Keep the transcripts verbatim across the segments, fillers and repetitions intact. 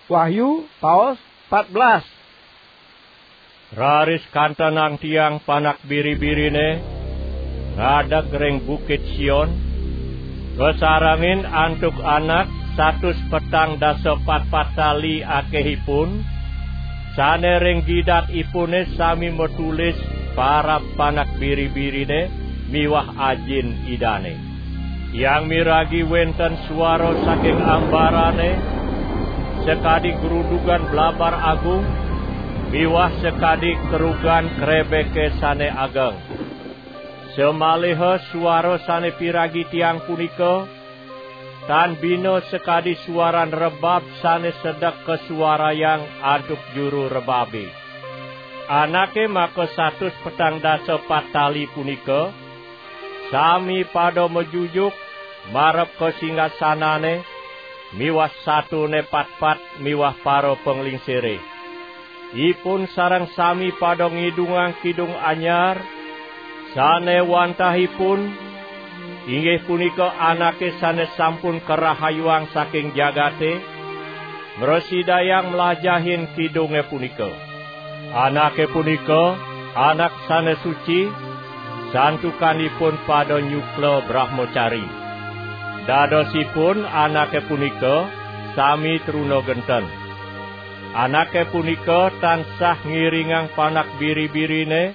Wahyu, paos pat belas. Raris kantenang tiang Panak Biri-birine ngadeg ring Bukit Sion, kasarengin antuk anak satus petang dasa patpat tali akehipun, sane ring gidatipune sami matulis parab Panak Biri-birine miwah Ajin Idane. Tiang miragi wenten suara saking ambarane, sakadi grudugan blabar agung, miwah sakadi kerugan krebeke sane ageng. Samaliha suara sane piragi tiang punika, tan bina sakadi suaran rebab sane sedek kasuarayang antuk juru rebabe. Anake maka satus petang dasa pat tali punika, sami pada majujuk marep ka singgasanane miwah satune patpat miwah para panglingsire. Ipun sareng sami pada ngidungang kidung anyar, sane wantahipun inggih punika anake sane sampun karahayuang saking jagate, mrasidayang mlajahin kidunge punika. Anake punika anak sane suci, santukanipun pada nyukla brahmacari. Dadosipun anake punika sami truna genten. Anake punika tansah ngiringang Panak Biri-birine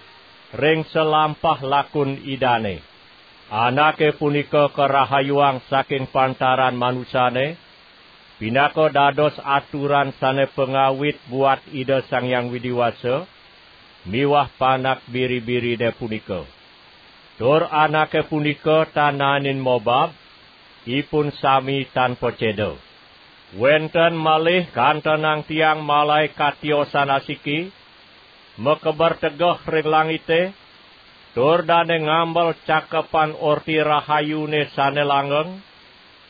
ring salampah lakun Idane. Anake punika karahayuang saking pantaran manusane, pinaka dados aturan sane pangawit buat Ida Sang Hyang Widi Wasa miwah Panak Biri-birine punika. Tur anake punika tan naenin mobab, ipun sami tan paceda. Wenten malih kantenang tiang malaekat tiosan asiki, makeber tegeh ring langite, tur dane ngambel Cakepan Orti Rahayune sane langgeng,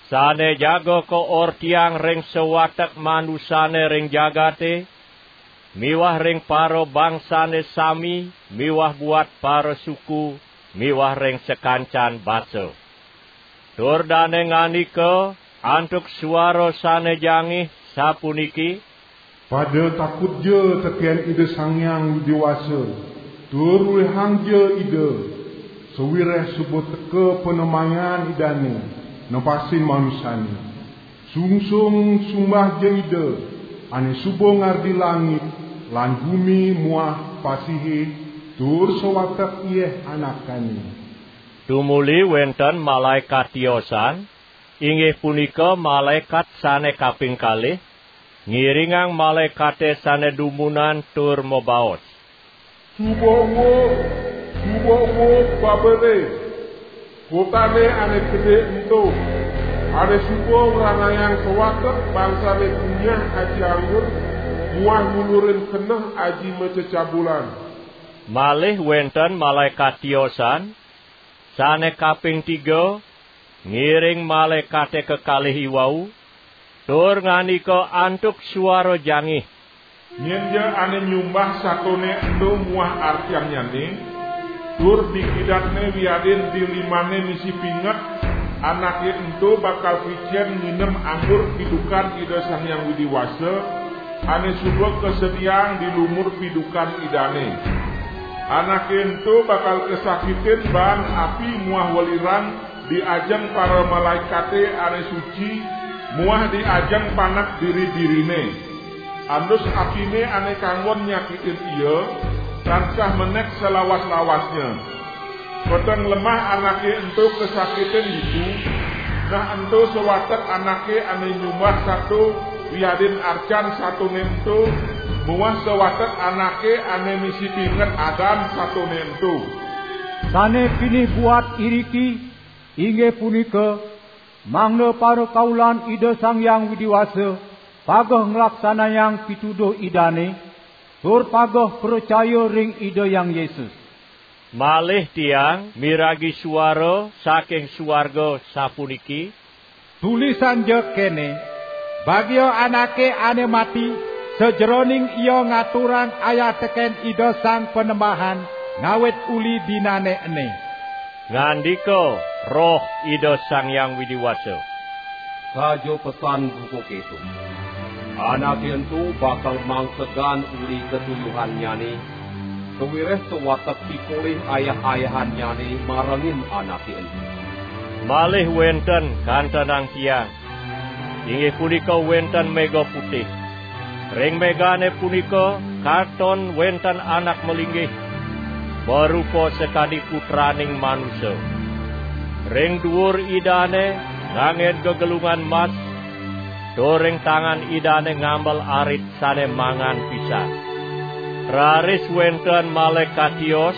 sane jaga kaortiang ring sawatek manusane ring jagate, miwah ring parabangsane sami, miwah buat parasuku, miwah ring sakancan basa. Tur dane ngandika antuk suara sane jangih, sapuniki: Pada takutja teken Ida Sang Hyang Widi Wasa, tur luihangja Ida, sawireh suba teka panemayan Idane nepasin manusane. Sungsung sumbahja Ida, ane suba ngardi langit lan gumi muah pasihe, tur sawatek yeh anakane. Tumuli wenten malaekat tiosan, inggih punika malaekat sane kaping kalih, ngiringang malaekate sane dumunan tur mabaos: Suba uug, suba uug Babele, kotane ane gede ento, ane suba ngranayang sawatek bangsane kunyah aji anggur, muah ngulurin keneh aji macecabulan. Malih wenten malaekat tiosan, sane kaping tiga, ngiring malaekate kekalih iwau, tur ngandika antuk suara jangih: Nyenja ane nyumbah satone ento muah artiannyane, tur di kidatne wiadin di limane misi pinget, anake ento bakal kicen nginem anggur pidukan Ida Sang Hyang Widi Wasa, ane suba kasediaang di lumur pidukan Idane. Anake ento bakal kasakitin baan api muah welirang di ajeng para malaekate ane suci muah di ajeng Panak Biri-birine. Andus apine ane kanggon nyakitin ia, tansah menek salawas-lawasnya. Peteng lemah anake ento kasakitin ditu, nah ento sawatek anake ane nyumbah sato wiadin arcan satone ento, muah sawatek anake ane misi pinget adan satone ento. Sane pinih buat iriki, inggih punika, mangda parakaulan Ida Sang Hyang Widi Wasa pageh nglaksanayang pituduh Idane, tur pageh pracaya ring Ida Hyang Yesus. Malih tiang miragi suara saking suarga sapuniki: Tulisangja kene: Bagia anake ane mati, sajeroning ia ngaturang ayah teken Ida Sang Panembahan ngawit uli dinane ene. Ngandika Roh Ida Sang Hyang Widi Wasa: Saja pesan buka keto. Anake ento bakal mangsegan uli katuyuhannyane, sawireh sawatek pikolih ayah-ayahannyane marengin anake ento. Malih wenten kantenang tiang, inggih punika wenten mega putih. Ring megane punika katon wenten anak malinggih, marupa sakadi Putraning Manusa. Ring duur Idane nganggen gegelungan mas, tur ring tangan Idane ngamel arit sane mangan pisan. Raris wenten malaekat tios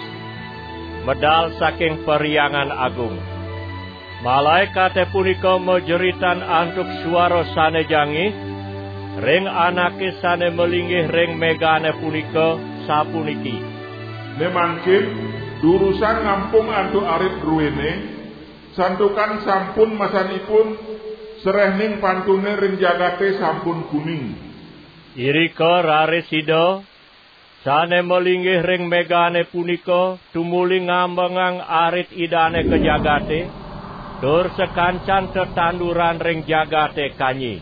medal saking Perhyangan Agung. Malaekate punika majeritan antuk suara sane jangih ring anake sane malinggih ring megane punika, sapuniki: "Ne mangkin, durusang ngampung antuk arit druene, santukan sampun masanipun, serehning pantune ring jagate sampun kuning." Irika raris Ida, sane malinggih ring megane punika, tumuli ngambengang arit Idane ka jagate, tur sakancan tetanduran ring jagate kanyi.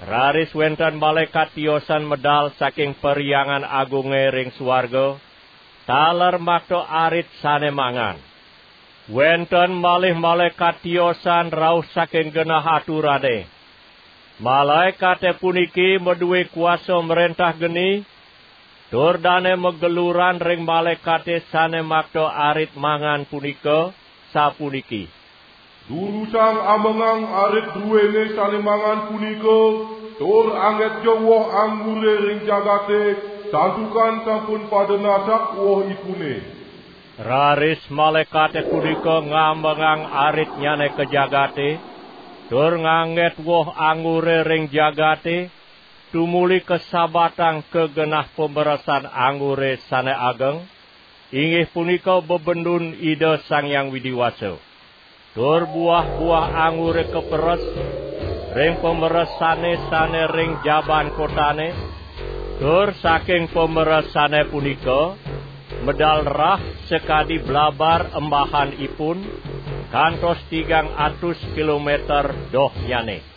Raris wenten malaekat tiosan medal saking Perhyangan Agunge ring suarga, taler makta arit sane mangan. Wenten malih malaekat tiosan rauh saking genah aturane. Malaekate puniki madue kuasa mrentah geni, tur dane mageluran ring malaekate sane makta arit mangan punika, sapuniki: "Durusang ambengang arit druene sane mangan punika, tur anggetja woh anggure ring jagate, santukan sampun pada nasak wohipune." Raris malaekate punika ngambengang aritnyane ka jagate, tur ngangget woh anggure ring jagate, tumuli kasabatang ka genah pameresan anggure sane ageng, inggih punika bebendun Ida Sang Hyang Widi Wasa. Tur buah-buah anggure kaperes ring pameresane sane ring jaban kotane, tur saking pameresane punika medal rah sakadi blabar embahanipun, kantos tigang atus kilometer dohnyane.